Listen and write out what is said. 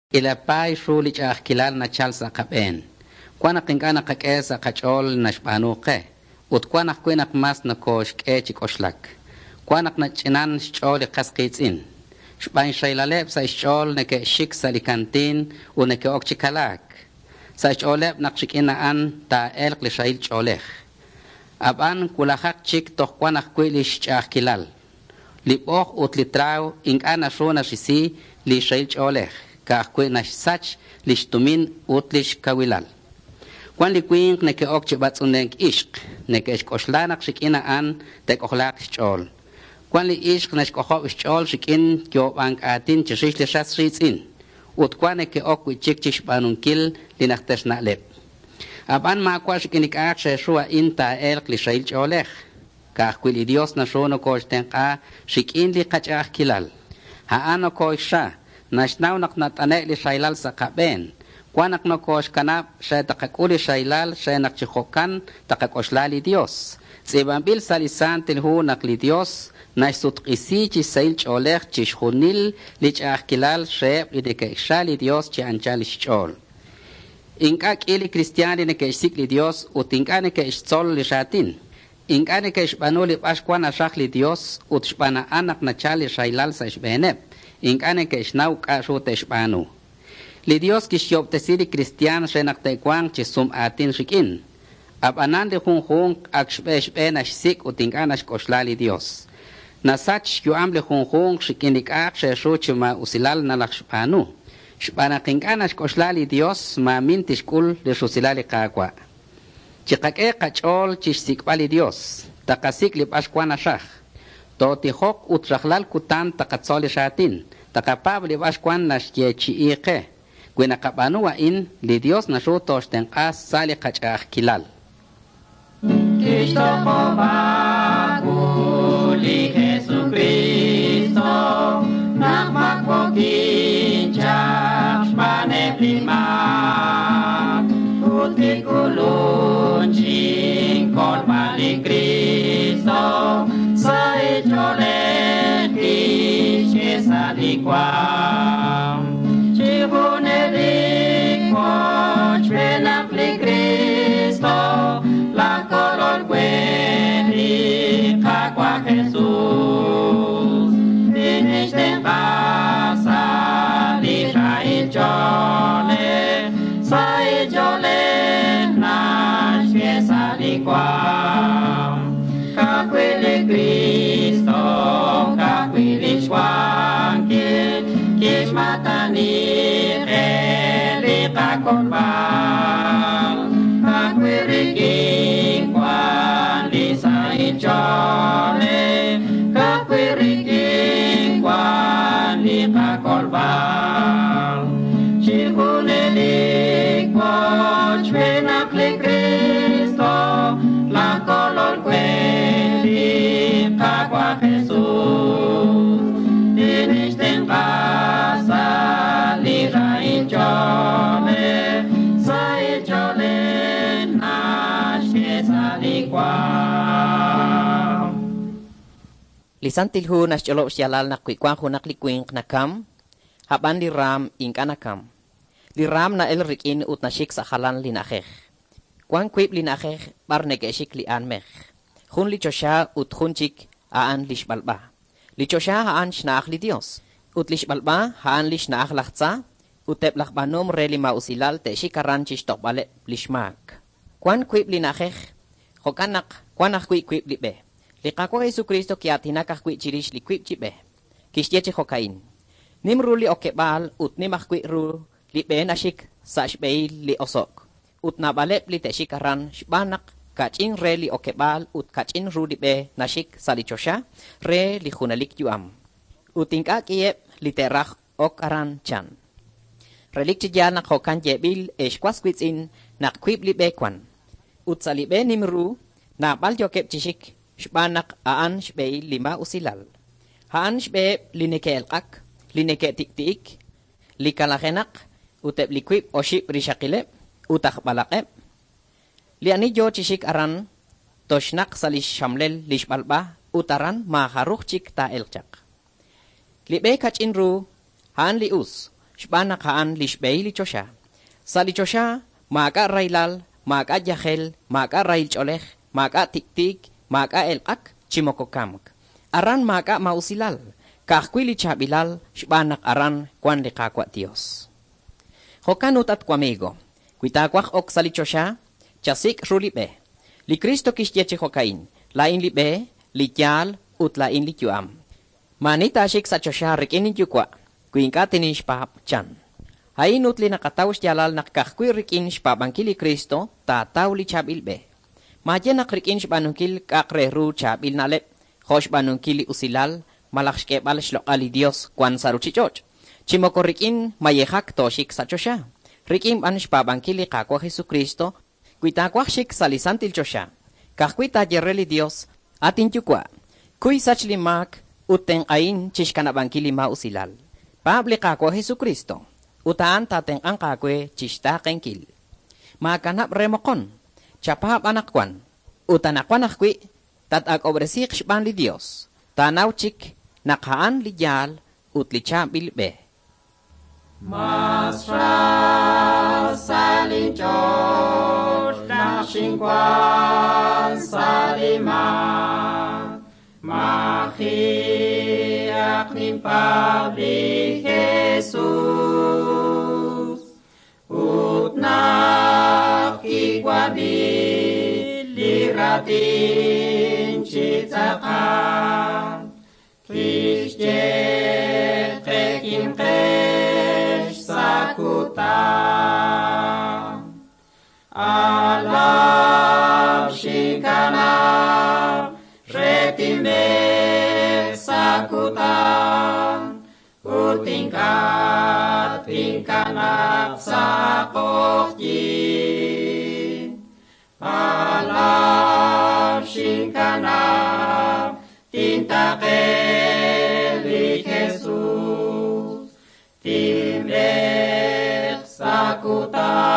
K'iila paay ru li ch'a'ajkilal nachal sa' qab'een. Wan naq ink'a' naqak'e sa' qach'ool li naxb'aanu qe, ut wan ajwi' naq mas nokoxk'e chi k'oxlak. Wan naq nach'inan xch'ool li qas qiitz'in. Xb'aan xrahilaleb' sa' xch'ool neke'xik sa' li kantiin ut neke'ok chi kalaak. Sa' xch'ooleb' naq rik'in a'an taa'elq li rahil ch'oolej. A'b'an wulajaq chik toj wan ajwi' lix ch'a'ajkilal. Li b'oj ut li traaw ink'a' naru narisi li rahil ch'oolej, ka'ajwi' naxsach lix tumin ut lix kawilal. Wan li winq neke'ok chi b'atz'unlenk ixq, neke'xk'oxla naq rik'in a'an te'k'ojlaaq xch'ool. Wan li ixq naxk'ojob' xch'ool rik'in yoob'ank aatin chirix li ras riitz'in, ut wan neke'ok wi'chik chixb'aanunkil li najter na'leb'. A'b'an maawa' rik'in li k'a'aq re ru a'in taa'elq li rahil ch'oolej. Ka'ajwi' li Dios naru nokoxtenq'a rik'in li qach'a'ajkilal. A'an nokoxra, naxnaw naq nat'ane' li rahilal sa' qab'een. Wan naq nokoxkanab' re taqak'ul li rahilal re naq chi jo'kan taqak'oxla li Dios. Tz'iib'anb'il sa' li Santil Hu naq li Dios naxsutq'isi chi sahil ch'oolej chixjunil li ch'a'ajkilal reheb' li neke'xra li Dios chi anchal xch'ool. Ink'a' k'i li kristiaan li neke'xsik' li Dios ut ink'a' neke'xtzol li raatin. Ink'a' neke'xb'aanu li b'ar wan naraj li Dios ut xb'aan a'an naq nachal li rahilal sa' xb'eeneb'. Ink'a' neke'xnaw k'a' ru te'xb'aanu. Li Dios kixyoob'tesi li kristiaan re naq te'wanq chi sum aatin rik'in. Ab'anan li junjunq ak xb'e xb'e naxsik' ut ink'a' naxk'oxla li Dios. Nasach xyu'am li junjunq rik'in li k'a'aq re ru chi maa'usilal nalajxb'aanu. Xb'aan naq ink'a' naxk'oxla li Dios, maamin tixk'ul li rusilal li Qaawa'. Chiqak'e qach'ool chixsik'b'al li Dios, taqasik' li b'ar wan naraj. Tootijoq ut rajlal kutan taqatzol li raatin, taqapaab' li b'ar wan naxyeechi'i qe. Wi naqab'aanu a'in, li Dios naru tooxtenq'a sa' li qach'a'ajkilal. Kixtoq'ob'a wu li Jesukristo naq mak'okin chaq xb'aaneb' li maak ut kik'ulun chinkolb'al li Kristo sa' ch'oolej kixk'e sa' li waam. Chi junelik wochb'eenaq li Kristo laj Kolol we li Qaawa' Jesus. Tinixtenq'a sa' li rahil ch'oolej, sa' ch'oolej naxk'e sa' li waam. Ka'ajwi' li Kristo, ka'ajwi' lix wankil, kixmatani qe li qakolb'al. Ka'ajwi' rik'in wan li sahil ch'oolej, ka'ajwi' rik'in wan li qakolb'al. Chi junelik wochb'eenaq li Kristo, laj Kolol we li Qaawa' Jesus. Tinixtenq'a sa' li rahil ch'oolej, sahil ch'oolej naxk'e sa' li waam. Li Santil Hu naxch'olob' xyaalal naq wi wan junaq li winq nakam, a'b'an li raam ink'a' nakam. Li raam na'el rik'in ut naxik sa' jalan li na'ajej. Wan wiib' li na'ajej b'ar neke'xik li aanmej. Jun li choxa ut jun chik a'an li xb'alb'a. Li choxa a'an xna'aj li Dios, ut li xb'alb'a a'an li xna'aj laj tza, ut eb' laj b'aanom re li maa'usilal te'xik aran chixtoqb'aleb' li xmaak. Wan wiib' li na'ajej, jo'kan naq wan ajwi' wiib' li b'e. Li Qaawa' Jesucristo ki'aatinak ajwi' chirix li wiib' chi b'e. Kixye chi jo'ka'in: Nim ru li okeb'aal ut nim ajwi' ru li b'e naxik sa' xb'ehil li oso'k, ut naab'aleb' li te'xik aran xb'aan naq kach'in re li okeb'aal ut kach'in ru li b'e naxik sa' li choxa re li junelik yu'am. Ut ink'a' k'iheb' li te'raj ok aran chan. Relik chi yaal naq jo'kan yeeb'il ex was wiitz'in naq wiib' li b'e wan. Ut sa' li b'e nim ru, naab'al yookeb' chi xik xb'aan naq a'an xb'ehil li maa'usilal. A'an xb'eheb' li neke'elq'ak, li neke'tik'ti'ik, li kalajenaq ut eb' li wiib' oxib' rixaqileb' ut aj b'alaq'eb'. Li ani yo chi xik aran toxnaq sa' li xxamlel li xb'alb'a ut aran maajaruj chik taa'elq chaq. Li b'e kach'in ru a'an li us, xb'aan naq a'an li xb'ehil li choxa. Sa' li choxa maak'a' rahilal, maak'a' yajel, maak'a' rahil ch'oolej, maak'a' tik'tiik, maak'a' elq'ak, chi moko kamk. Aran maak'a' maa'usilal, ka'ajwi' li chaab'ilal xb'aan naq aran wan li Qaawa' Dios. Jo'kan ut, at wamigo, wi taawaj ok sa' li choxa, chasik' ru li b'e. Li Cristo kixye chi jo'ka'in, laa'in li b'e, li yaal ut laa'in li yu'am. Maani taaxik sa' choxa rik'in inyuwa', wi ink'a' tinixpaab' chan. A'in ut li naqataw xyaalal naq ka'ajwi' rik'in xpaab'ankil li Cristo taataw li chaab'il b'e. Maaye naq rik'in xb'aanunkil k'a'aq re ru chaab'il na'leb', jo' xb'aanunkil li usilal, malaj xk'eeb'al xloq'al li Dios wan sa' ruchich'och'. Chi moko rik'in mayejak tooxik sa' choxa. Rik'in b'an xpaab'ankil li Qaawa' Jesucristo, wi taawaj xik sa' li santil choxa, ka'ajwi' taaye re li Dios, at inyuwa', kuy sach li maak ut tenq'ahin chixkanab'ankil li maa'usilal. Paab' li Qaawa' Jesucristo, ut a'an taatenq'anq aawe chixtaaqenkil. Maakanab' re moqon, chapaab' anaqwan, ut anaqwan ajwi' tat-ak'ob'resiiq xb'aan li Dios. Taanaw chik naq a'an li yaal ut li chaab'il b'e. Mas ra sa linch'ool naq xinwan sa' li maak, maji'aq ninpaab' li Jesus. Ut naq kiwab'i li raatin chi tz'aqal, kixye qe kimqex sa' kutan. Alab xinkanab' re tinb'eek sa' kutan, ut ink'a' tinkanab' sa' q'oqyink. Alab xinkanab' tintaqe li Jesus, tinb'eek sa' kutan.